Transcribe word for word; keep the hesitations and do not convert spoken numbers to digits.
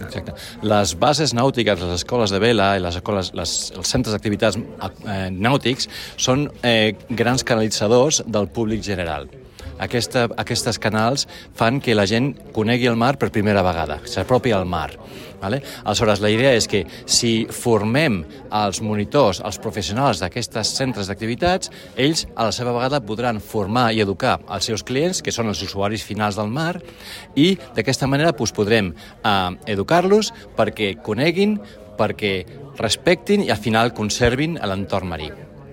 Exacte. Les bases nàutiques, les escoles de vela i les escoles, les, els centres d'activitats eh, nàutics són eh, grans canalitzadors del públic general. Aquesta, aquestes canals fan que la gent conegui el mar per primera vegada, s'apropi al mar. Vale? Aleshores, la idea és que si formem els monitors, els professionals d'aquestes centres d'activitats, ells a la seva vegada podran formar i educar els seus clients, que són els usuaris finals del mar, i d'aquesta manera doncs, podrem eh, educar-los perquè coneguin, perquè respectin i al final conservin l'entorn marí.